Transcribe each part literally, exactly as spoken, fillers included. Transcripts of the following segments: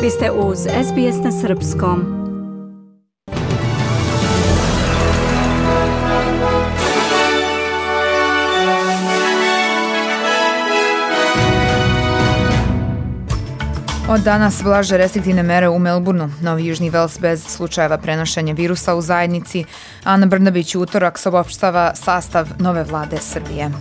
Vi ste uz S B S na srpskom. Od danas blaže restriktivne mere u Melbourneu, Novi Južni Vels bez slučajeva prenošenja virusa u zajednici. Ana Brnabić u utorak saopštava sastav nove vlade Srbije.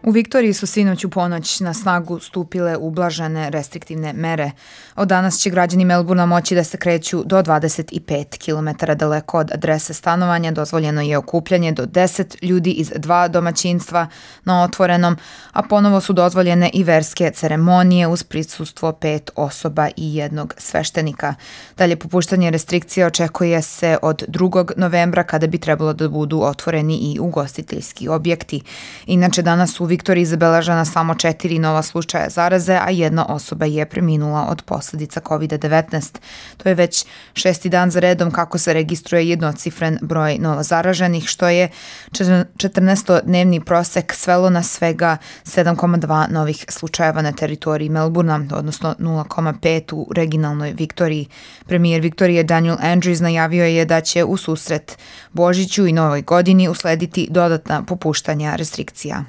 U Viktoriji su sinoć u ponoć na snagu stupile ublažene restriktivne mere. Od danas će građani Melbournea moći da se kreću do dvadeset pet kilometara daleko od adrese stanovanja. Dozvoljeno je okupljanje do deset ljudi iz dva domaćinstva na otvorenom, a ponovo su dozvoljene i verske ceremonije uz prisustvo pet osoba i jednog sveštenika. Dalje popuštanje restrikcija očekuje se od drugog novembra kada bi trebalo da budu otvoreni i ugostiteljski objekti. Inače, danas u Viktoriji zabeležena samo četiri nova slučaja zaraze, a jedna osoba je preminula od posljedica kovid devetnaest. To je već šesti dan za redom kako se registruje jednocifren broj novozaraženih, što je četrnaestodnevni prosek svelo na svega sedam zarez dva novih slučajeva na teritoriji Melbournea, odnosno nula zarez pet u regionalnoj Viktoriji. Premijer Viktorije Daniel Andrews najavio je da će u susret Božiću i Novoj godini uslediti dodatna popuštanja restrikcija.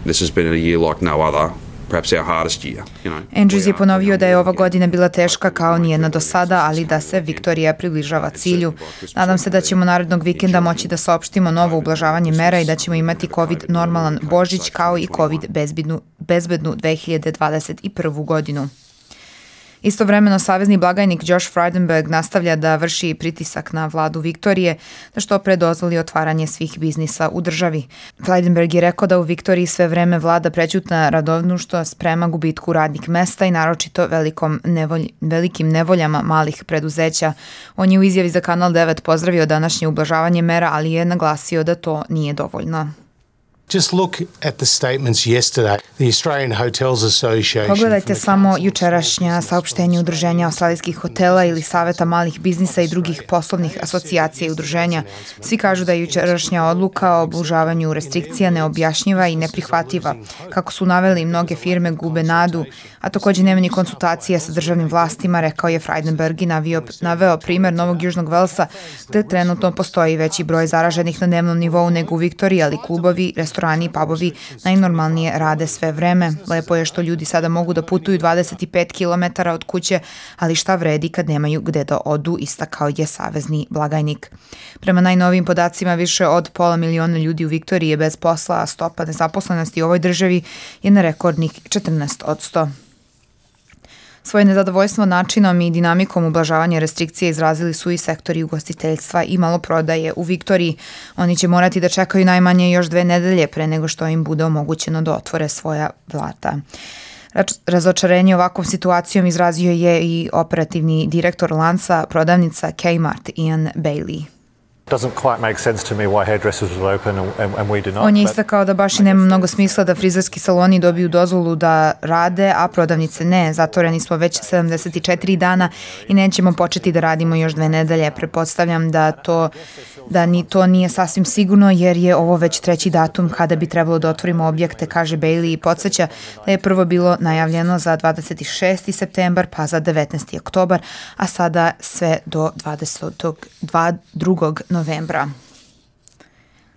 This has been a year like no other, perhaps our hardest year. You know, Andrews je ponovio da je ova godina bila teška kao nijedna do sada, ali da se Viktorija približava cilju. Nadam se da ćemo narednog vikenda moći da saopštimo novo ublažavanje mera i da ćemo imati COVID normalan Božić kao i COVID bezbednu, bezbednu dve hiljade dvadeset prvu godinu. Istovremeno, savezni blagajnik Josh Frydenberg nastavlja da vrši pritisak na vladu Viktorije da što pre dozvoli otvaranje svih biznisa u državi. Frydenberg je rekao da u Viktoriji sve vreme vlada prećutna radovnuštvo prema gubitku radnih mesta i naročito velikom nevolj, velikim nevoljama malih preduzeća. On je u izjavi za Kanal devet pozdravio današnje ublažavanje mera, ali je naglasio da to nije dovoljno. Just look at the statements yesterday. The Australian Hotels Association. Pogledajte samo jučerašnja saopštenja udruženja australijskih hotela ili saveta malih biznisa i drugih poslovnih asocijacija i udruženja. Svi kažu da je jučerašnja odluka o oblužavanju restrikcija neobjašnjiva i neprihvatljiva. Kako su naveli, mnoge firme gube nadu, a također nema ni konsultacije sa državnim vlastima, rekao je Frydenberg i navio, naveo primer Novog Južnog Velsa, gde trenutno postoji veći broj zaraženih na dnevnom nivou nego u Viktoriji, ali klubovi, restorani i pubovi najnormalnije rade sve vreme. Lepo je što ljudi sada mogu da putuju dvadeset pet kilometara od kuće, ali šta vredi kad nemaju gde da odu, istakao je savezni blagajnik. Prema najnovijim podacima, više od pola miliona ljudi u Viktoriji je bez posla, a stopa nezaposlenosti u ovoj državi je na rekordnih četrnaest posto. Svoje nezadovoljstvo načinom i dinamikom ublažavanja restrikcije izrazili su i sektori ugostiteljstva i maloprodaje u Viktoriji. Oni će morati da čekaju najmanje još dve nedelje pre nego što im bude omogućeno da otvore svoja vrata. Razočarenje ovakvom situacijom izrazio je i operativni direktor lanca prodavnica Kmart Ian Bailey. On je istakao da baš i nema mnogo smisla da frizerski saloni dobiju dozvolu da rade, a prodavnice ne. Zatvoreni smo već sedamdeset četiri dana i nećemo početi da radimo još dve nedelje. Pretpostavljam da to da ni to nije sasvim sigurno jer je ovo već treći datum kada bi trebalo da otvorimo objekte, kaže Bailey i podsjeća da je prvo bilo najavljeno za dvadeset šesti septembar pa za devetnaesti oktobar, a sada sve do dvadesetog drugog novembra.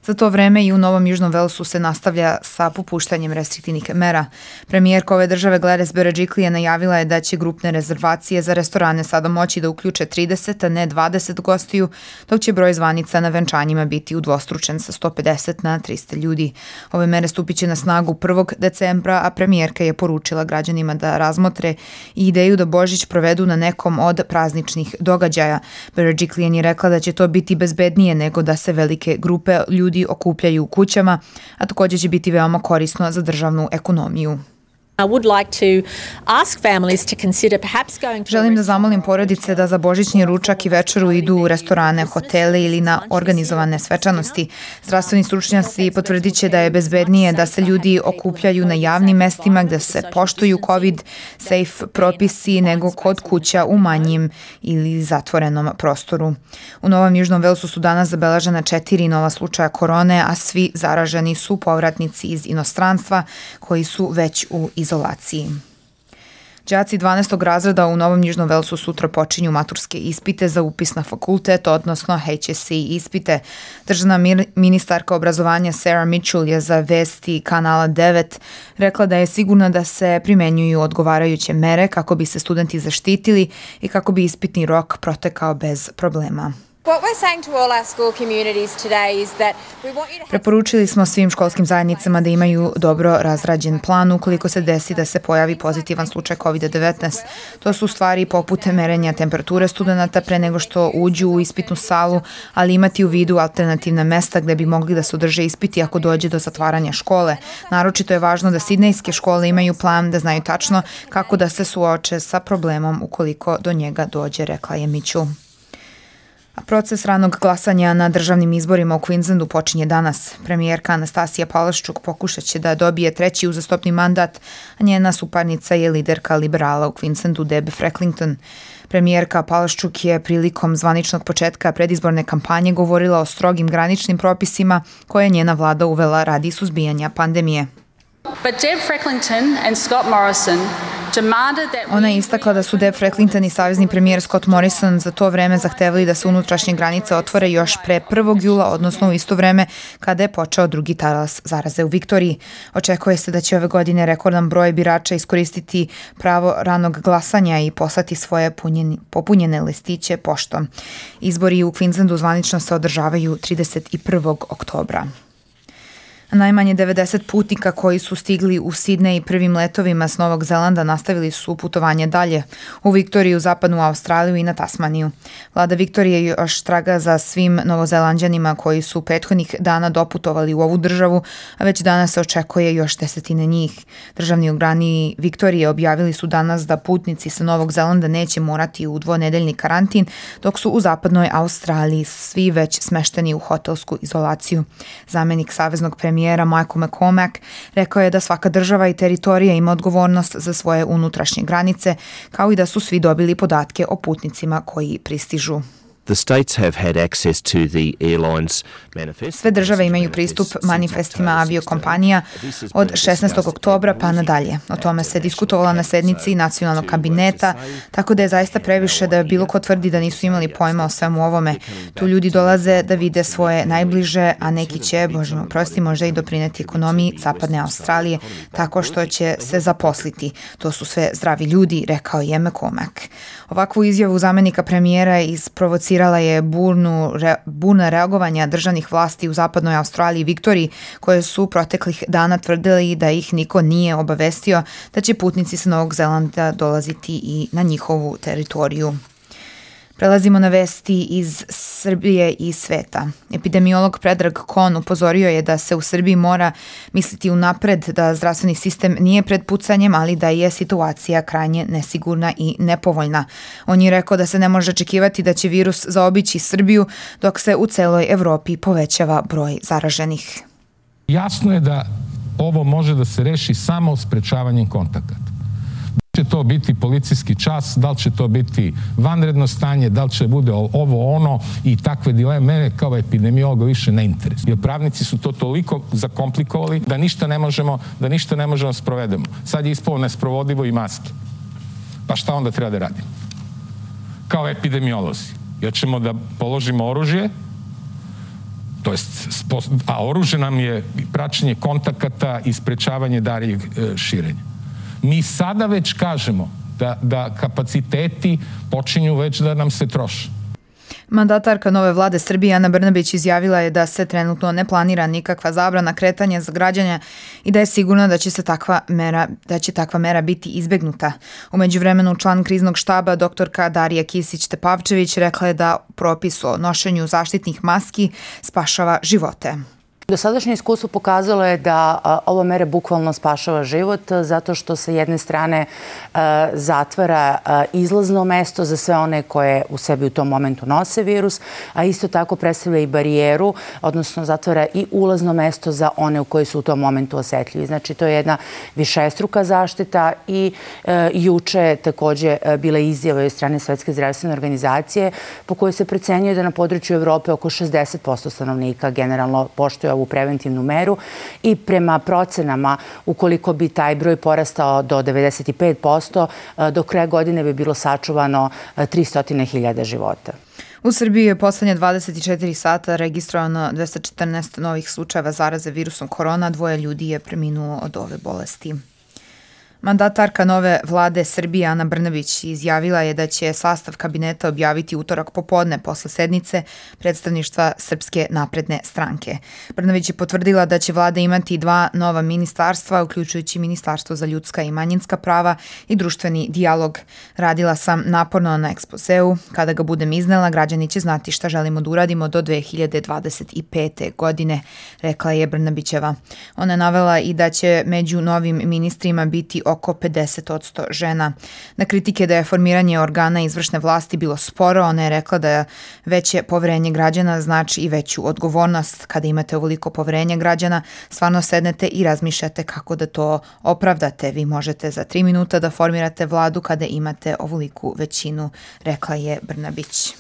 Za to vreme i u Novom Južnom Velsu se nastavlja sa popuštanjem restriktivnih mera. Premijerka ove države Gladys Berejiklian najavila je da će grupne rezervacije za restorane sada moći da uključe trideset, a ne dvadeset gostiju, dok će broj zvanica na venčanjima biti udvostručen sa sto pedeset na trista ljudi. Ove mere stupit će na snagu prvog decembra, a premijerka je poručila građanima da razmotre i ideju da Božić provedu na nekom od prazničnih događaja. Berejiklian je rekla da će to biti bezbednije nego da se velike grupe ljudi okupljaju u kućama, a također će biti veoma korisno za državnu ekonomiju. I would like to ask families to consider perhaps going to Želim da zamolim porodice da za božićni ručak i večeru idu u restorane, hotele ili na organizovane svečanosti. Zdravstveni stručnjaci potvrdit će da je bezbednije da se ljudi okupljaju na javnim mestima gde se poštuju COVID-safe propisi nego kod kuća u manjim ili zatvorenom prostoru. U Novom Južnom Velsu su danas zabeležena četiri nova slučaja korone, a svi zaraženi su povratnici iz inostranstva koji su već u izolaciji. Đaci dvanaestog razreda u Novom Južnom Velsu sutra počinju maturske ispite za upis na fakultet, odnosno H S C ispite. Državna ministarka obrazovanja Sarah Mitchell je za vesti kanala devet rekla da je sigurna da se primenjuju odgovarajuće mere kako bi se studenti zaštitili i kako bi ispitni rok protekao bez problema. Preporučili smo svim školskim zajednicama da imaju dobro razrađen plan ukoliko se desi da se pojavi pozitivan slučaj kovid devetnaest. To su stvari poput merenja temperature studenata pre nego što uđu u ispitnu salu, ali imati u vidu alternativna mesta gde bi mogli da se održe ispiti ako dođe do zatvaranja škole. Naročito je važno da sidnejske škole imaju plan, da znaju tačno kako da se suoče sa problemom ukoliko do njega dođe, rekla je Mitchell. A proces ranog glasanja na državnim izborima u Queenslandu počinje danas. Premijerka Anastasija Palaszczuk pokušat će da dobije treći uzastopni mandat, a njena suparnica je liderka liberala u Queenslandu Deb Frecklington. Premijerka Palaszczuk je prilikom zvaničnog početka predizborne kampanje govorila o strogim graničnim propisima koje je njena vlada uvela radi suzbijanja pandemije. But Deb Frecklington and Scott Morrison demanded that Ona je istakla da su Deb Frecklington i savezni premijer Scott Morrison za to vreme zahtevali da se unutrašnje granice otvore još pre prvog jula, odnosno u isto vreme kada je počeo drugi talas zaraze u Viktoriji. Očekuje se da će ove godine rekordan broj birača iskoristiti pravo ranog glasanja i poslati svoje punjeni, popunjene listiće poštom. Izbori u Queenslandu zvanično se održavaju trideset prvog oktobra. Najmanje devedeset putnika koji su stigli u Sidnej prvim letovima s Novog Zelanda nastavili su putovanje dalje u Viktoriju, zapadnu Australiju i na Tasmaniju. Vlada Viktorije još traga za svim Novozelanđanima koji su prethodnih dana doputovali u ovu državu, a već danas se očekuje još desetine njih. Državni organi Viktorije objavili su danas da putnici sa Novog Zelanda neće morati u dvonedeljni karantin, dok su u zapadnoj Australiji svi već smešteni u hotelsku izolaciju. Zamenik saveznog premijera Michael McCormack rekao je da svaka država i teritorija ima odgovornost za svoje unutrašnje granice, kao i da su svi dobili podatke o putnicima koji pristižu. The states have had access to the airlines manifest. Sve države imaju pristup manifestima aviokompanija od šesnaestog oktobra pa nadalje. O tome se diskutovalo na sednici nacionalnog kabineta, tako da je zaista previše da bilo ko tvrdi da nisu imali pojma o svemu ovome. Tu ljudi dolaze da vide svoje najbliže, a neki će, bože me oprosti, možda i doprineti ekonomiji zapadne Australije tako što će se zaposliti. To su sve zdravi ljudi, rekao je McCormack. Ovakvu izjavu zamenika premijera isprovocirala je burnu, re, burna reagovanja državnih vlasti u zapadnoj Australiji i Viktoriji, koje su proteklih dana tvrdili da ih niko nije obavestio da će putnici sa Novog Zelanda dolaziti i na njihovu teritoriju. Prelazimo na vesti iz Srbije i sveta. Epidemiolog Predrag Kon upozorio je da se u Srbiji mora misliti unapred da zdravstveni sistem nije pred pucanjem, ali da je situacija krajnje nesigurna i nepovoljna. On je rekao da se ne može očekivati da će virus zaobići Srbiju dok se u celoj Evropi povećava broj zaraženih. Jasno je da ovo može da se reši samo sprečavanjem kontakata. Da li će to biti policijski čas, da li će to biti vanredno stanje, da li će bude ovo ono i takve dileme, mene kao epidemiologa više ne interesuje. Jer pravnici su to toliko zakomplikovali da ništa ne možemo, da ništa ne možemo sprovedemo. Sad je ispalo nesprovodivo i maske. Pa šta onda treba da radimo? Kao epidemiolozi. Jer ćemo da položimo oružje, to jest, a oružje nam je praćenje kontakata i sprečavanje daljeg širenja. Mi sada već kažemo da, da kapaciteti počinju već da nam se troše. Mandatarka nove vlade Srbije Ana Brnabić izjavila je da se trenutno ne planira nikakva zabrana kretanja za građane i da je sigurna da će se takva mera, da će takva mera biti izbegnuta. U međuvremenu član kriznog štaba doktorka Darija Kisić-Tepavčević rekla je da propis o nošenju zaštitnih maski spašava živote. Dosadašnje iskustvo pokazalo je da a, ova mera bukvalno spašava život zato što sa jedne strane a, zatvara a, izlazno mesto za sve one koje u sebi u tom momentu nose virus, a isto tako predstavlja i barijeru, odnosno zatvara i ulazno mesto za one u koji su u tom momentu osetljivi. Znači, to je jedna višestruka zaštita i e, juče takođe e, bila izjava od strane Svetske zdravstvene organizacije po kojoj se procenjuje da na području Evrope oko šezdeset posto stanovnika generalno poštuje ovu preventivnu meru i prema procenama, ukoliko bi taj broj porastao do devedeset pet posto, do kraja godine bi bilo sačuvano tristo hiljada života. U Srbiji je poslednje dvadeset četiri sata registrovano dvesta četrnaest novih slučajeva zaraze virusom korona, dvoje ljudi je preminulo od ove bolesti. Mandatarka nove vlade Srbije Ana Brnabić izjavila je da će sastav kabineta objaviti utorak popodne posle sednice predstavništva Srpske napredne stranke. Brnabić je potvrdila da će vlada imati dva nova ministarstva, uključujući Ministarstvo za ljudska i manjinska prava i društveni dijalog. Radila sam naporno na ekspozeu. Kada ga budem iznela, građani će znati šta želimo da uradimo do dve hiljade dvadeset pete. godine, rekla je Brnabićeva. Ona je navela i da će među novim ministrima biti oko pedeset posto žena. Na kritike da je formiranje organa izvršne vlasti bilo sporo, ona je rekla da veće poverenje građana znači i veću odgovornost. Kada imate ovoliko poverenja građana, stvarno sednete i razmišljate kako da to opravdate. Vi možete za tri minuta da formirate vladu kada imate ovoliku većinu, rekla je Brnabić.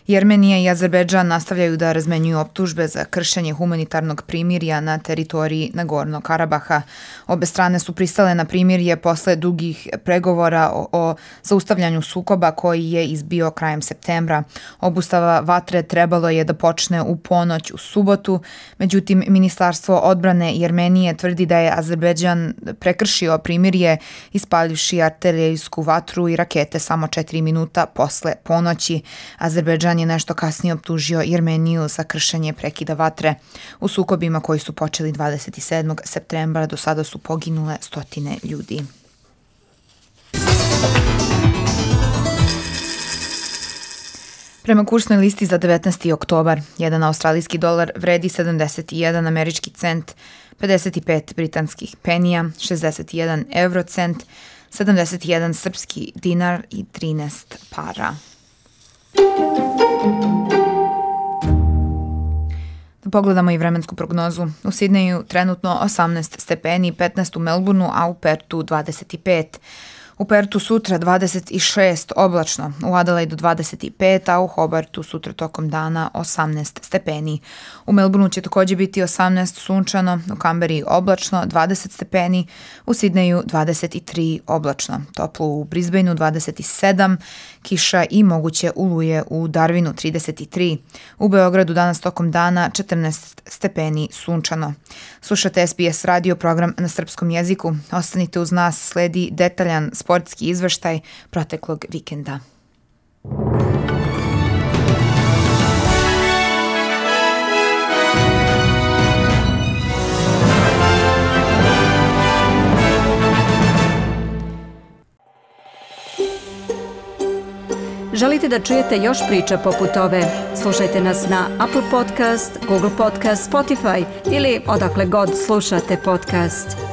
Jermenija i Azerbejdžan nastavljaju da razmenjuju optužbe za kršenje humanitarnog primirja na teritoriji Nagornog Karabaha. Obe strane su pristale na primirje posle dugih pregovora o, o zaustavljanju sukoba koji je izbio krajem septembra. Obustava vatre trebalo je da počne u ponoć u subotu, međutim Ministarstvo odbrane Jermenije tvrdi da je Azerbejdžan prekršio primirje ispaljivši artiljerijsku vatru i rakete samo četiri minuta posle ponoći. Azerbejdžan je nešto kasnije optužio Jermeniju za kršenje prekida vatre. U sukobima koji su počeli dvadeset sedmog septembra do sada su poginule stotine ljudi. Prema kursnoj listi za devetnaesti oktobar, jedan australijski dolar vredi sedamdeset jedan američki cent, pedeset pet britanskih penija, šezdeset jedan eurocent, sedamdeset jedan srpski dinar i trinaest para. Da pogledamo i vremensku prognozu. U Sidneju trenutno osamnaest stepeni, petnaest u Melbourneu, a u Pertu dvadeset pet. U Pertu sutra dvadeset šest oblačno, u Adelaidu dvadeset pet, a u Hobartu sutra tokom dana osamnaest stepeni. U Melbourneu će takođe biti osamnaest sunčano, u Kamberi oblačno dvadeset stepeni, u Sidneju dvadeset tri oblačno, toplo u Brisbaneu dvadeset sedam, kiša i moguće oluje u Darwinu trideset tri. U Beogradu danas tokom dana četrnaest stepeni sunčano. Slušate S B S radio program na srpskom jeziku. Ostanite uz nas, sledi detaljan sportski izveštaj proteklog vikenda. Želite da čujete još priča poput ove? Slušajte nas na Apple Podcast, Google Podcast, Spotify ili odakle god slušate podcast.